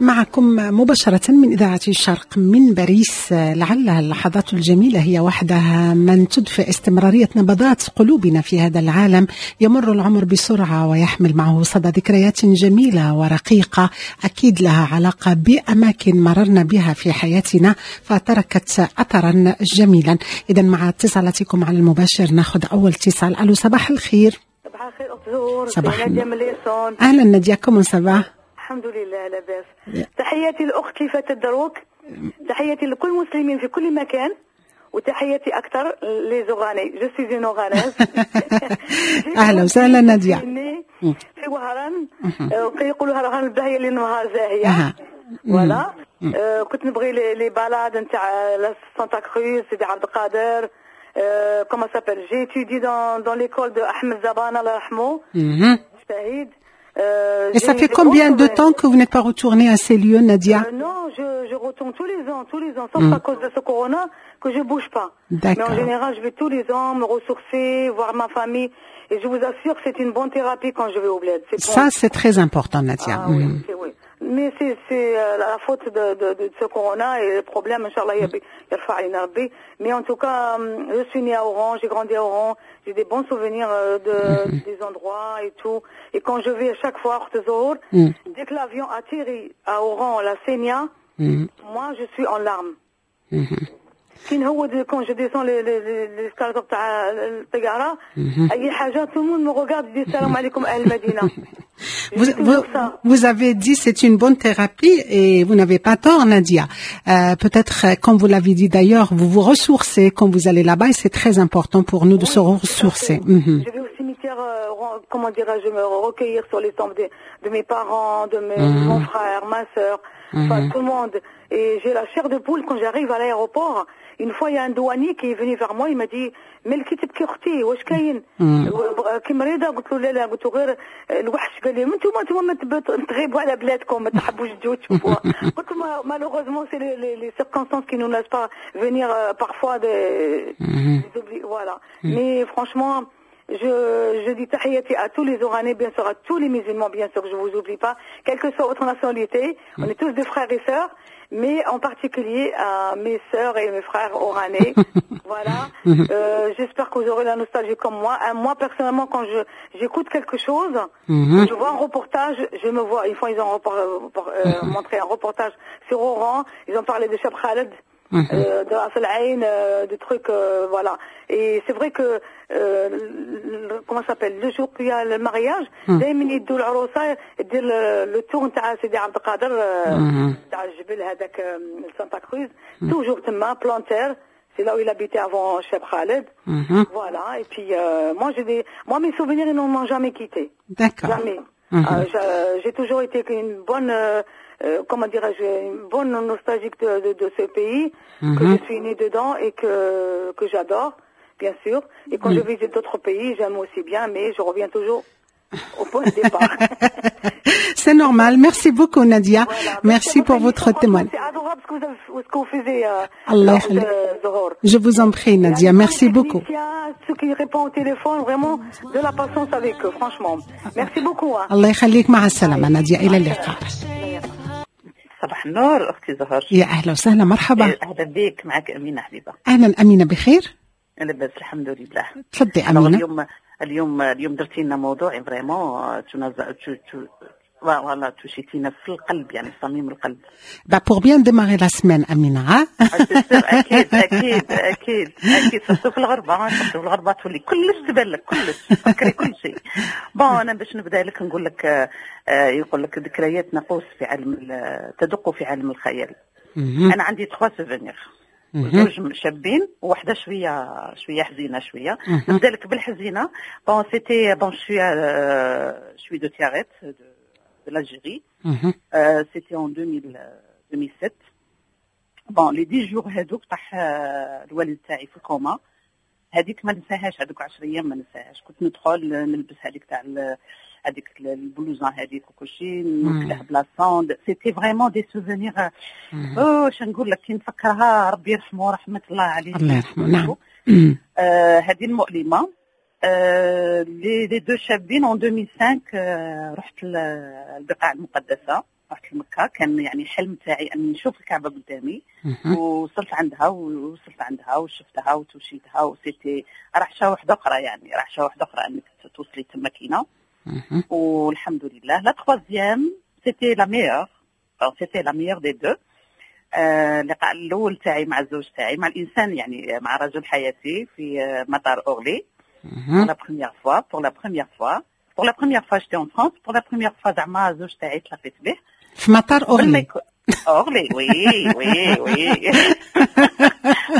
معكم مباشرة من إذاعة الشرق من باريس. لعل اللحظات الجميلة هي وحدها من تدفئ استمرارية نبضات قلوبنا في هذا العالم. يمر العمر بسرعة ويحمل معه صدى ذكريات جميلة ورقيقة أكيد لها علاقة بأماكن مررنا بها في حياتنا فتركت أثرا جميلا. إذا مع اتصالاتكم على المباشر ناخذ أول اتصال. ألو، صباح الخير. صباح الخير أخت زهور. صباح نادية من l'Essonne. أهلا نادية، comment ça va؟ الحمد لله لاباس. تحياتي للاخت اللي فاتت دروك، تحياتي لكل المسلمين في كل مكان، وتحياتي اكثر les Oranais. je suis une Oranaise. اهلا وسهلا ناديه. في وهران، وكيقولوا وهران الباهيه اللي نهار زاهيه. voilà، كنت نبغي les balades نتاع سانتا كروز، سيدي عبد القادر، comment s'appelle، j'ai étudié dans l'école de احمد زبانه الله يرحمه شهيد. Et ça fait combien de temps que vous n'êtes pas retournée à ces lieux, Nadia? Non, je retourne tous les ans, sauf à cause de ce corona que je bouge pas. Mais en général, je vais tous les ans me ressourcer, voir ma famille. Et je vous assure que c'est une bonne thérapie quand je vais au bled. Bon. Ça, c'est très important, Nadia. Ah, oui, oui. Mais c'est la faute de ce corona et le problème, إن شاء الله, يرفع علينا ربي. Mais en tout cas, je suis née à Oran, j'ai grandi à Oran, j'ai des bons souvenirs des endroits et tout. Et quand je vais à chaque fois à Zohor, dès que l'avion atterrit à Oran, la Sénia, moi je suis en larmes. Quand je descends les escalators تاع الطيارة، أي حاجة، tout le monde me regarde et dit السلام عليكم أهل المدينة. Vous avez dit c'est une bonne thérapie et vous n'avez pas tort, Nadia. Peut-être, comme vous l'avez dit d'ailleurs, vous vous ressourcez quand vous allez là-bas et c'est très important pour nous de se ressourcer. Je vais au cimetière, comment dirais-je, me recueillir sur les tombes de mes parents, de mon frère, ma sœur, enfin tout le monde. Et j'ai la chair de poule quand j'arrive à l'aéroport. Une fois, il y a un douanier qui est venu vers moi, il m'a dit: مالك تبكي اختي، واش كاين؟ كي مريضه؟ قلت له لا لا، قلت له غير الوحش. قال لي انتم ما تغيبوا على بلادكم، ما تحبوش تجوا تشوفوها. قلت له malheureusement, c'est les circonstances qui nous laissent pas venir parfois des voilà. Mais franchement, je dis تحياتي à tous les Oranais, bien sûr, à tous les musulmans, bien sûr, je vous oublie pas, quelle que soit votre nationalité, on est tous des frères et sœurs, mais en particulier à mes sœurs et mes frères oranais. Voilà. J'espère que vous aurez la nostalgie comme moi. Moi, personnellement, quand j'écoute quelque chose, je vois un reportage, je me vois, une fois, ils ont montré un reportage sur Oran, ils ont parlé de Cheb Khaled, de Ras El Ain, des trucs, voilà. Et c'est vrai que, comment ça s'appelle, le jour qu'il y a le mariage, دائما يدوا العروسه دير le tour نتاع سيدي عبد القادر، تاع الجبل هذاك، سانتا كروز، toujours تما Plantaire. C'est là où il habitait avant Cheb Khaled. Voilà. Et puis, moi, mes souvenirs, ils ne m'ont jamais quitté. Jamais. J'ai toujours été une bonne, comment dirais-je, une bonne nostalgique de ce pays, que je suis née dedans et que j'adore, bien sûr. Et quand je visite d'autres pays, j'aime aussi bien, mais je reviens toujours au point de départ. C'est normal. Merci beaucoup, Nadia. Voilà. Merci pour votre témoignage. C'est adorable ce que vous faisiez. الله يخليك. Zohor. Je vous en prie, Nadia. Merci beaucoup. Ceux qui répondent au téléphone, vraiment de la patience avec eux, franchement. Merci beaucoup. Hein. الله يخليك، مع السلامة نادية، إلى اللقاء. صباح النور أختي زهر. يا أهلا وسهلا، مرحبا. أهلا بك، معك أمينة حبيبة. أهلا أمينة، بخير؟ لاباس الحمد لله. تفضلي أمينة. اليوم درتي لنا موضوع vraiment voilà، توشيتينا في القلب، يعني في صميم القلب. Bah pour bien démarrer la semaine, Amina. اكيد اكيد اكيد اكيد، surtout في الغربه، surtout في الغربه تولي كلش تبان لك، كلش تفكري كل شيء. Bon، انا باش نبدا لك نقول لك، يقول لك ذكريات نقوس في عالم تدق في عالم الخيال. انا عندي 3 souvenirs، زوج شابين وواحده شويه شويه حزينه شويه. نبدا لك بالحزينه. Bon, c'était bon, je suis de Tiaret, de l'Algérie. C'était en 2000, 2007. Bon, les 10 jours هذوك طاح الوالد تاعي في الكوما. هذيك ما ننساهاش، هذوك 10 ايام ما ننساهاش. كنت ندخل نلبس هذيك تاع هذيك ال blouson هذيك وكل شيء، نوكله ب la sonde. C'était vraiment des souvenirs. واش نقول لك، كي نفكرها، ربي يرحمه، رحمه الله عليه. الله يرحمه، نعم. هذه المؤلمه. Les deux شابين، en 2005 رحت البقاع المقدسه، رحت لمكه. كان يعني حلم تاعي ان نشوف الكعبة قدامي. وصلت عندها وشفتها وتوشيتها، و c'était رعشه واحدة اخرى، يعني رعشه واحدة اخرى انك توصلي تما كينا. والحمد لله، la troisième c'était la meilleure des deux. اللقاء الاول تاعي مع الزوج تاعي، مع الانسان، يعني مع رجل حياتي، في مطار اورلي. Pour la première fois j'étais en France، pour la première fois زعما الزوج تاعي تلاقيت به. في مطار اورلي؟ اورلي، oui،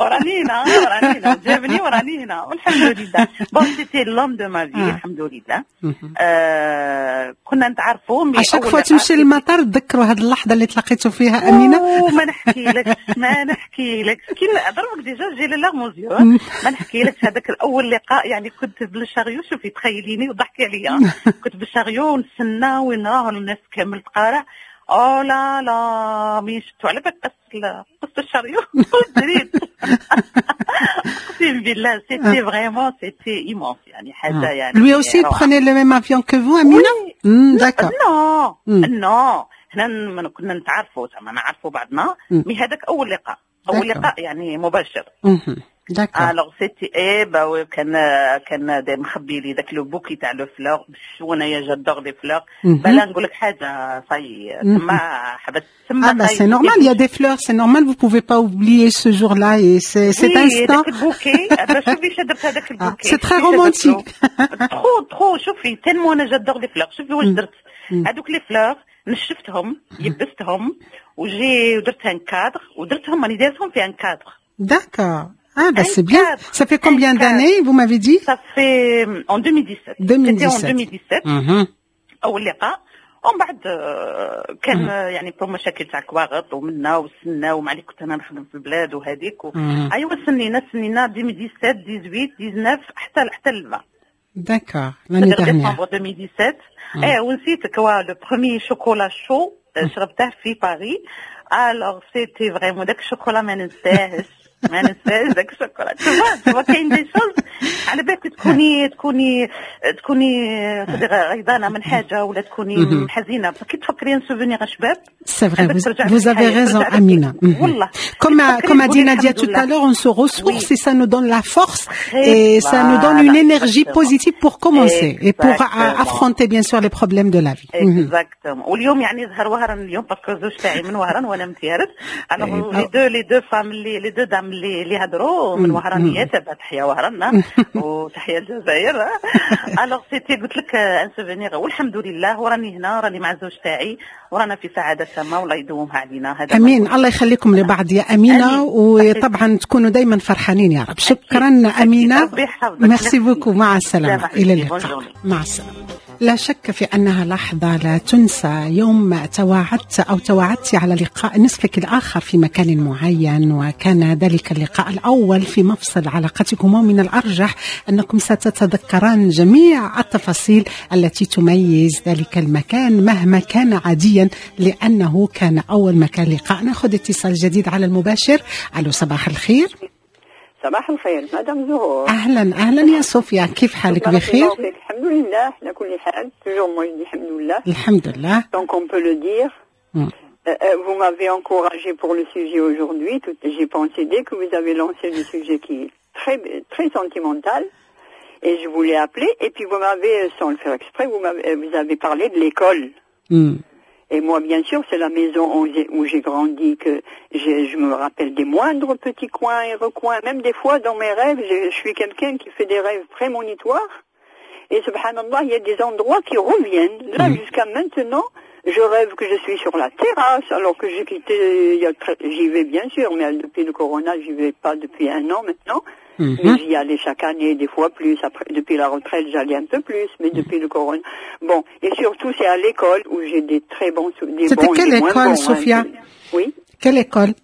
وراني هنا، وراني هنا، جابني وراني هنا والحمد لله. Bon, c'était l'homme de ma vie، الحمد لله. كنا نتعرفوا. Mais à chaque fois تمشي للمطار تذكروا هذه اللحظة اللي تلاقيتوا فيها امينه؟ ما نحكي لكش، ما نحكي لكش. كي ضربك déjà j'ai les larmes aux yeux. ما نحكي لكش هذاك الاول لقاء، يعني كنت بال chariot، شوفي تخيليني وضحكي عليا، كنت بال chariot ونستنى وين راه الناس كامل تقارع. Oh là là، mais شفتو على بالك قص ال chariot دريت، اقسم بالله c'était vraiment c'était immense، يعني حاجة يعني. Lui aussi prenait le même avion que vous، Amina؟ D'accord. Non, non، حنا كنا نتعرفوا، زعما نعرفوا بعضنا، mais هذاك اول لقاء، اول لقاء يعني مباشر. Alors c'était eh ben كان داير مخبي لي ذاك le bouquet تاع les fleurs، باش وانايا j'adore les fleurs. بلا نقول لك حاجه، ça y est، تما حبست تما. Ah bah c'est normal, il y a des fleurs, c'est normal, vous pouvez pas oublier ce jour-là et cet instant. هذاك ال bouquet، شوفي شا درت هذاك ال bouquet. C'est très romantique. Trop trop. شوفي، tellement انا j'adore les fleurs، شوفي واش درت. هذوك les fleurs نشفتهم، يبستهم، وجي ودرت un cadre ودرتهم، راني دايرتهم في un cadre. D'accord. Ah, bah c'est bien. Ça fait combien d'années, vous m'avez dit؟ Ça fait en 2017. 2017. C'était en 2017. أول لقاء، ومن بعد كان يعني pour مشاكل تاع كواغط ومنا وسنا ومع اللي كنت انا نخدم في البلاد وهذيك ايوا سنينا سنينا 2017، 18، 19 حتى ل 20. D'accord, l'année dernière. ديسمبر 2017. ايه، ونسيت quoi، le premier chocolat chaud شربته في باريس. Alors c'était vraiment داك الشوكولا ما ننساهش، ما ننساش داك الشوكولا. Tu vois، كاين des choses على بالك تكوني غيضانه من حاجة ولا تكوني حزينه، كي تفكري un souvenir شباب. C'est vrai, vous avez raison, Amina. Comme a dit Nadia tout à l'heure, on se ressource et ça nous donne la force et ça nous donne une énergie positive pour commencer et pour affronter bien sûr les problèmes de la vie. Exactement. واليوم يعني زهر وهران اليوم، parce que الزوج تاعي من وهران وانا من تيارت. Alors les deux femmes، les deux dames اللي هضروا من وهرانيات، تحيا وهران وتحيا الجزائر. Alors c'était قلت لك un souvenir، والحمد لله وراني هنا، راني مع الزوج تاعي ورانا في سعادة تامه، والله يدومها علينا. هذا امين، الله يخليكم لبعض يا امينه، وطبعا تكونوا دائما فرحانين يا رب. شكرا امينه، merci beaucoup، مع السلامه، الى اللقاء، مع السلامه. لا شك في أنها لحظة لا تنسى، يوم تواعدت أو تواعدت على لقاء نصفك الآخر في مكان معين، وكان ذلك اللقاء الأول في مفصل علاقتكما، ومن الأرجح أنكم ستتذكران جميع التفاصيل التي تميز ذلك المكان مهما كان عاديا، لأنه كان أول مكان لقاء. نأخذ اتصال جديد على المباشر. ألو، صباح الخير. صباح الخير مدام زهور. اهلا اهلا يا صوفيا، كيف حالك؟ بخير؟ الحمد لله على كل حال، toujours moi je dis الحمد لله. الحمد لله. Donc on peut le dire. Vous m'avez encouragé pour le sujet aujourd'hui. J'ai pensé dès que vous avez lancé le sujet qui est très, très sentimental. Et je voulais appeler. Et puis vous m'avez, sans le faire exprès, vous avez parlé de l'école. Et moi, bien sûr, c'est la maison où j'ai grandi que je me rappelle des moindres petits coins et recoins. Même des fois, dans mes rêves, je suis quelqu'un qui fait des rêves prémonitoires. Et سبحان الله, il y a des endroits qui reviennent. Là, jusqu'à maintenant, je rêve que je suis sur la terrasse, alors que j'ai quitté, j'y vais bien sûr, mais depuis le corona, j'y vais pas depuis un an maintenant. Mais j'y allais chaque année, des fois plus. Après, depuis la retraite, j'allais un peu plus, mais depuis le corona. Bon, et surtout, c'est à l'école où j'ai des très bons C'était quelle école, bons, Sophia؟ Hein. Oui. Quelle école?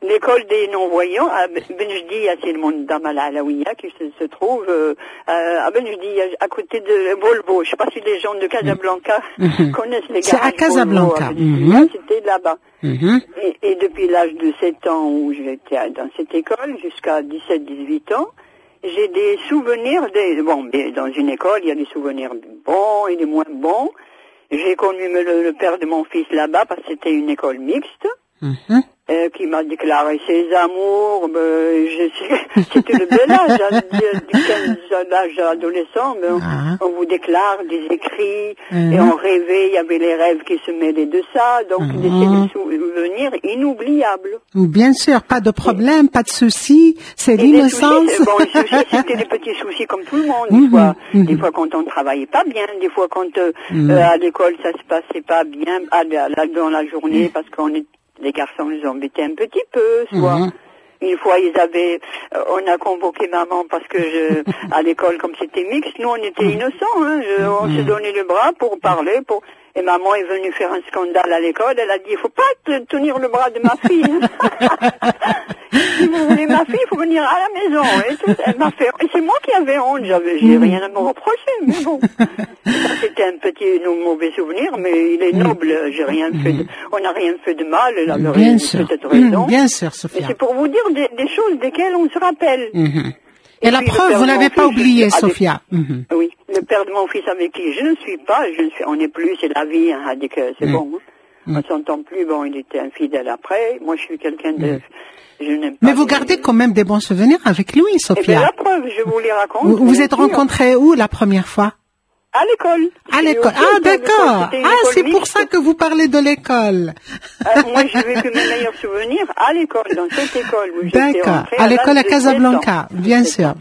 L'école des non-voyants à Benjdia, c'est le monde d'Amal Alaouia qui se trouve à Benjdia, à côté de Volvo. Je ne sais pas si les gens de Casablanca connaissent les garages. C'est à Casablanca. C'était là-bas. Et depuis l'âge de 7 ans où j'étais dans cette école, jusqu'à 17-18 ans, j'ai des souvenirs bon, dans une école, il y a des souvenirs bons et des moins bons. J'ai connu le père de mon fils là-bas parce que c'était une école mixte. Qui m'a déclaré ses amours, c'était le bel âge, hein, du 15, l'âge adolescent, mais on vous déclare des écrits, et on rêvait, il y avait les rêves qui se mêlaient de ça, donc des souvenirs inoubliables. Bien sûr, pas de problème, pas de soucis, c'est l'innocence. Bon, les soucis, c'était des petits soucis comme tout le monde, des fois, des fois quand on travaillait pas bien, des fois quand à l'école ça se passait pas bien, dans la journée, parce qu'on est les garçons nous embêtaient un petit peu, soit une fois ils avaient, on a convoqué maman parce que à l'école comme c'était mixte, nous on était innocents, hein, on se donnait le bras pour parler, et maman est venue faire un scandale à l'école, elle a dit il faut pas tenir le bras de ma fille. Si vous voulez ma fille, il faut venir à la maison. Et tout, elle m'a fait, et c'est moi qui avais honte, j'ai rien à me reprocher, mais bon. C'était un petit mauvais souvenir, mais il est noble, j'ai rien fait on n'a rien fait de mal, elle avait peut-être raison. Bien sûr, Sophia. Mais c'est pour vous dire des choses desquelles on se rappelle. Et la preuve, vous l'avez pas oublié, Sophia. Oui, le père de mon fils avec qui je ne suis pas, on n'est plus, c'est la vie, hein, c'est bon. On ne s'entend plus, bon, il était infidèle après. Moi, je suis quelqu'un de... Je n'aime pas. Mais vous gardez quand même des bons souvenirs avec lui, Sophia. Eh bien, la preuve, je vous les raconte. Vous vous êtes rencontrés où la première fois? À l'école. À l'école. Ah, d'accord. Ah, c'est pour ça que vous parlez de l'école. Moi, j'ai vécu mes meilleurs souvenirs à l'école, dans cette école où j'étais rentrée. À l'école à Casablanca, bien sûr.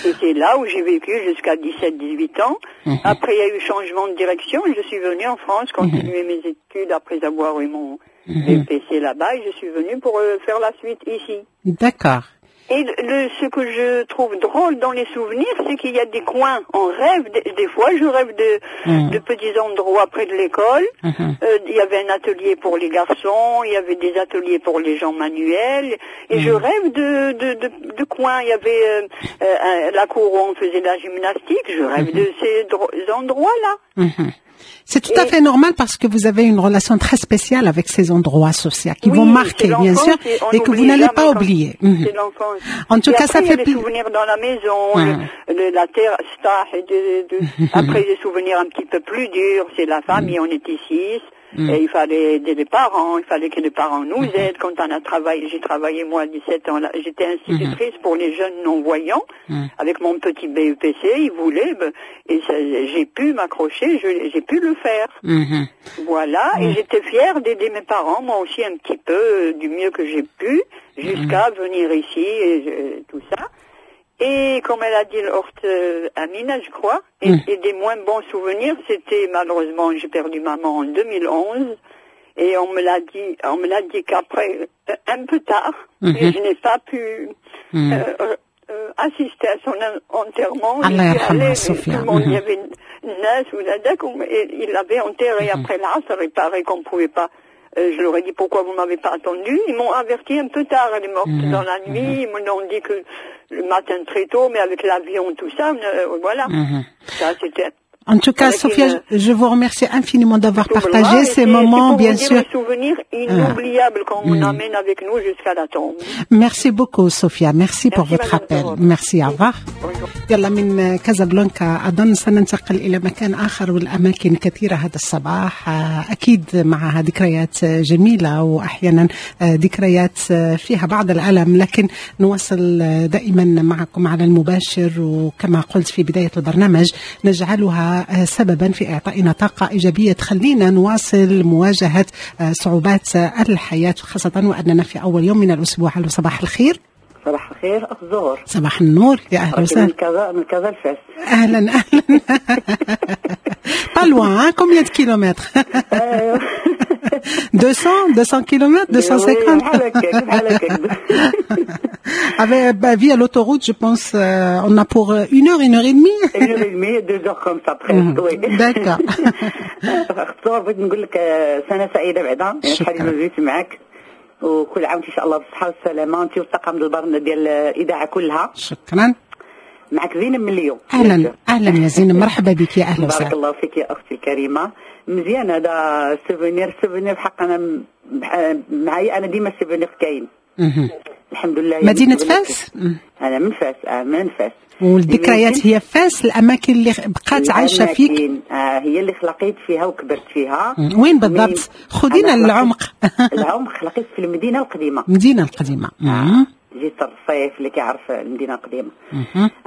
Et c'est là où j'ai vécu jusqu'à 17-18 ans. Après, il y a eu changement de direction. Je suis venue en France continuer mes études après avoir eu mon BPC là-bas. Et je suis venue pour faire la suite ici. D'accord. Et ce que je trouve drôle dans les souvenirs, c'est qu'il y a des coins. On rêve, des fois, je rêve de petits endroits près de l'école. Il y avait un atelier pour les garçons, il y avait des ateliers pour les gens manuels. Et je rêve de coins. Il y avait la cour où on faisait de la gymnastique. Je rêve de ces endroits-là. C'est tout à fait normal parce que vous avez une relation très spéciale avec ces endroits sociaux qui vont marquer, bien sûr, et que vous n'allez pas oublier. C'est l'enfance. En tout cas, ça fait plaisir. Des souvenirs dans la maison, la terre, après des souvenirs un petit peu plus durs, c'est la famille, on était 6. Et il fallait aider les parents, il fallait que les parents nous aident. Quand on a travaillé, j'ai travaillé moi à 17 ans, j'étais institutrice pour les jeunes non-voyants, avec mon petit BEPC, ils voulaient, et j'ai pu m'accrocher, j'ai pu le faire. Voilà, et j'étais fière d'aider mes parents, moi aussi un petit peu, du mieux que j'ai pu, jusqu'à venir ici et tout ça. Et comme elle a dit l'Orte Amina, je crois, et des moins bons souvenirs, c'était malheureusement, j'ai perdu maman en 2011, et on me l'a dit qu'après, un peu tard, et je n'ai pas pu assister à son enterrement. Allah yarhamha, Sophia. Tout le monde, il y avait Nas ou Nadak, et il l'avait enterré après l'Asr, il paraît qu'on ne pouvait pas. Je leur ai dit pourquoi vous m'avez pas attendu. Ils m'ont averti un peu tard. Elle est morte dans la nuit. Ils m'ont dit que le matin très tôt, mais avec l'avion, tout ça, voilà. Ça, c'était. En tout cas, Sophia, je vous remercie infiniment d'avoir partagé ces moments, bien sûr. Des souvenirs inoubliables qu'on amène avec nous jusqu'à la tombe. Merci beaucoup, Sophia. Merci pour votre appel. Merci, au revoir. يلا من كازابلانكا أظن سننتقل إلى مكان آخر، والأماكن كثيرة هذا الصباح، أكيد معها ذكريات جميلة وأحيانا ذكريات فيها بعض الألم، لكن نواصل دائما معكم على المباشر، وكما قلت في بداية البرنامج نجعلها سببا في إعطائنا طاقة إيجابية تخلينا نواصل مواجهة صعوبات الحياة، خاصة وأننا في أول يوم من الأسبوع. صباح الخير. صباح الخير الزهور. صباح النور، يا أهلا وسهلا. من كذا الفاس. أهلا أهلا. Pas loin, hein? Combien de kilomètres? 200 kilomètres, 250. Avec, via l'autoroute, je pense, on a pour une heure, une heure et demie. Une heure et demie, 2 heures comme ça, presque, oui. D'accord. بغيت نقول لك سنة سعيدة بعدا، شحال ما جيت معاك. وكل عام ان شاء الله بالصحة والسلامة، انت والطاقم ديال الاذاعة كلها. شكرا. معك زينب من اليوم. اهلا اهلا يا زينب، مرحبا بك، يا اهلا وسهلا. بارك الله فيك يا اختي الكريمة. مزيان هذا souvenir، souvenir بحق انا معايا، انا ديما souvenir كاين الحمد لله. مدينة فاس؟ انا من فاس، من فاس. والذكريات هي فاس، الاماكن اللي بقات عايشه فيك؟ هي اللي خلقيت فيها وكبرت فيها. وين بالضبط؟ خذينا للعمق. العمق، خلقيت في المدينة القديمه. المدينة القديمه. جيت الرصيف، اللي كيعرف المدينة القديمه.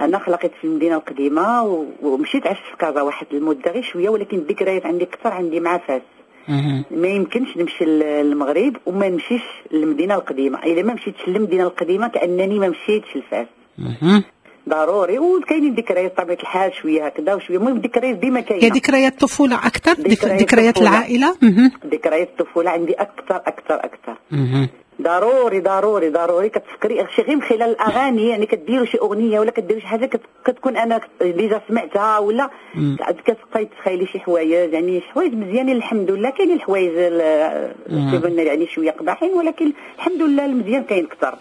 انا خلقت في المدينة القديمة ومشيت عشت في كازا واحد المدة غير شويه، ولكن الذكريات عندي اكثر عندي مع فاس. ما يمكنش نمشي للمغرب وما نمشيش للمدينة القديمه، الا ما مشيتش للمدينة القديمة كانني ما مشيتش لفاس. ضروري. وكاينين ذكريات بطبيعة الحال شوية هكذا وشويه، المهم الذكريات ديما كاينه. هي ذكريات الطفولة اكثر، ذكريات العائله. ذكريات الطفولة عندي اكثر اكثر اكثر. ضروري ضروري ضروري كتفكري شي غير من خلال الاغاني، يعني كديروا شي اغنية ولا كديروا شي حاجة كتكون انا déjà سمعتها ولا كتبقاي تخيلي شي حوايج، يعني شي حوايج مزيانين الحمد لله. كاينين الحوايج يعني شوية قباحين، ولكن الحمد لله المزيان كاين اكثر.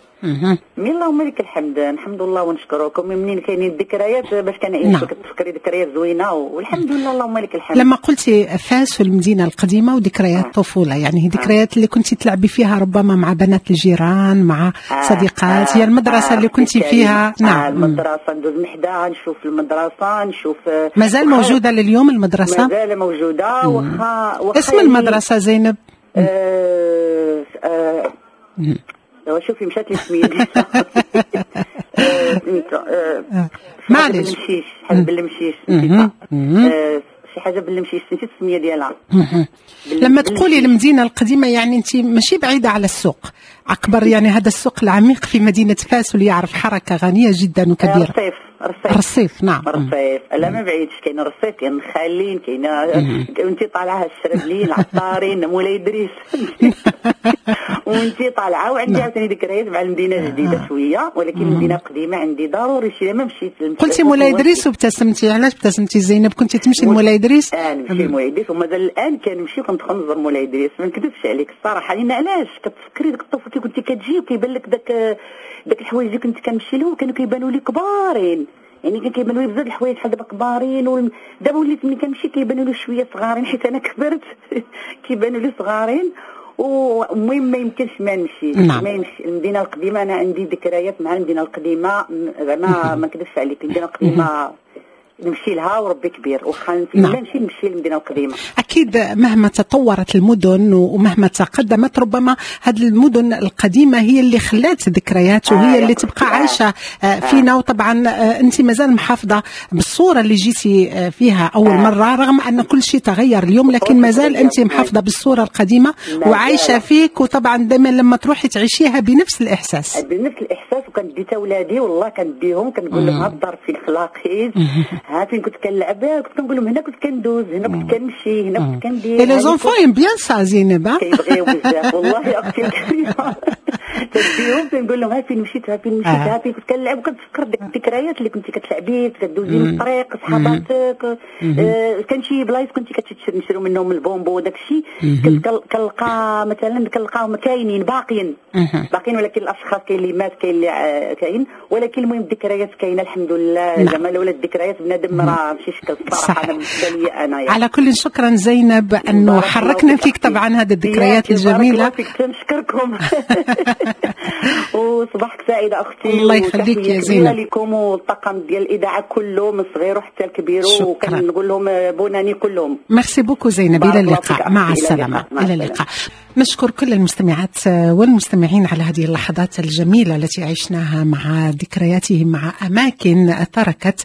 mais اللهم لك الحمد، الحمد لله ونشكركم. منين كاينين الذكريات باش كنعيشوا. كتفكري ذكريات زوينة والحمد لله، اللهم لك الحمد. لما قلتي فاس والمدينة القديمة وذكريات الطفوله، يعني هي ذكريات اللي كنت تلعبي فيها ربما مع بنات الجيران، مع صديقات، هي المدرسة اللي كنت فيها؟ نعم، المدرسة ندوز من حداها، نشوف المدرسه، نشوف. مازال موجودة لليوم المدرسه؟ مازال موجوده، واخا اسم المدرسة زينب؟ شوفي مشات لي سميتو. معليش. بالمشيش، حاجة بالمشيش، شي حاجة بالمشيش، نسيت السمية ديالها. لما تقولي المدينة القديمه، يعني انت ماشي بعيدة على السوق اكبر، يعني هذا السوق العميق في مدينة فاس واللي يعرف حركة غنية جدا وكبيره. رصيف، رصيف. رصيف، نعم. رصيف، لا ما بعيدش، كاين رصيف، كاين الخالين، كاين وانت طالعه الشربلين، العطارين، مولاي ادريس وانت طالعه. وعندي عاوتاني ذكريات مع المدينة الجديدة شويه، ولكن المدينة القديمة عندي ضروري شي ما مشيت. قلتي مولاي ادريس وابتسمتي، علاش ابتسمتي زينب؟ كنتي تمشي لمولاي ادريس؟ اه، نمشي لمولاي ادريس، ومازال الان كنمشي وكندخل نزور مولاي ادريس. ما نكذبش عليك الصراحه، لان علاش؟ كتفكري ديك الطفولة كي كنتي كتجي وكيبان لك داك الحوايج اللي كنت كنمشي لهم كانوا كيبانوا لي كبارين، يعني كان كيبانوا لي بزاف الحوايج بحال دابا كبارين. دابا وليت ملي كنمشي كيبانوا لي شوية صغارين، حيت انا كبرت كيبانوا لي صغارين. والمهم ما يمكنش ما نمشي. ما يمشي المدينة القديمه، انا عندي ذكريات مع المدينة القديمه، زعما ما نكذبش عليك، المدينة القديمة نمشي لها وربي كبير، واخا نمشي نمشي للمدينة القديمه. اكيد، مهما تطورت المدن ومهما تقدمت، ربما هذه المدن القديمة هي اللي خلات ذكريات وهي اللي تبقى عايشه فينا. وطبعا انت مازال محافظة بالصورة اللي جيتي فيها اول مرة، رغم ان كل شيء تغير اليوم، لكن مازال انت محافظة بالصورة القديمة وعايشة فيك، وطبعا دائما لما تروحي تعيشيها بنفس الاحساس. بنفس الاحساس، وكندي تا ولادي، والله كنديهم كنقول لهم ها الدار فين خلاقيت، ها فين كنت كنلعب، كنت كنقول لهم هنا كنت كندوز، هنا كنت كنمشي، هنا كنت كندير. et les enfants aiment bien ça زينب؟ كيبغيو بزاف والله يا اختي الكريمه. تديهم تنقول لهم ها فين مشيت، ها فين مشيت، ها فين كنت كنلعب، وكتفكر ديك الذكريات اللي كنتي كتلعبي، كدوزي من الطريق صحاباتك، كان شي بلايص كنتي كتشري منهم البومبو وداك الشيء، كنلقى مثلا كنلقاهم كاينين باقيين باقيين، ولكن الاشخاص كاين اللي مات، كاين اللي كاين، ولكن المهم الذكريات كاينه الحمد لله. زعما لولا الذكريات بنادم راه ماشي شكل الصراحه، انا بالنسبة لي انا يعني. على كل شكرا زينب انه حركنا فيك طبعا هذه الذكريات الجميله. بارك الله فيك، نشكركم وصباحك سعيدة اختي. الله يخليك يا زينب. لكم والطاقم ديال الاذاعة كله من صغير حتى الكبير، وكنقول لهم bonne année كلهم. merci beaucoup زينب، الى اللقاء، مع السلامه، الى اللقاء. نشكر كل المستمعات والمستمعين على هذه اللحظات الجميلة التي عشناها مع ذكرياتهم مع أماكن تركت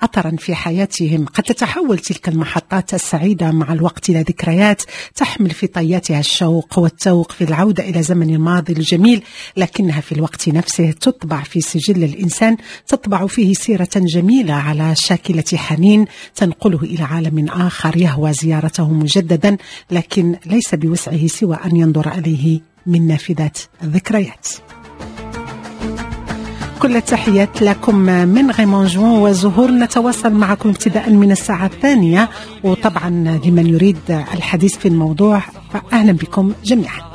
أثرا في حياتهم. قد تتحول تلك المحطات السعيدة مع الوقت إلى ذكريات تحمل في طياتها الشوق والتوق في العودة إلى زمن الماضي الجميل، لكنها في الوقت نفسه تطبع في سجل الإنسان، تطبع فيه سيرة جميلة على شاكلة حنين تنقله إلى عالم آخر يهوى زيارته مجددا، لكن ليس بوسعه سوى أن ينظر إليه من نافذة الذكريات. كل التحيات لكم من غيمون جوان وزهور. نتواصل معكم ابتداء من الساعة 2، وطبعا لمن يريد الحديث في الموضوع فأهلا بكم جميعا.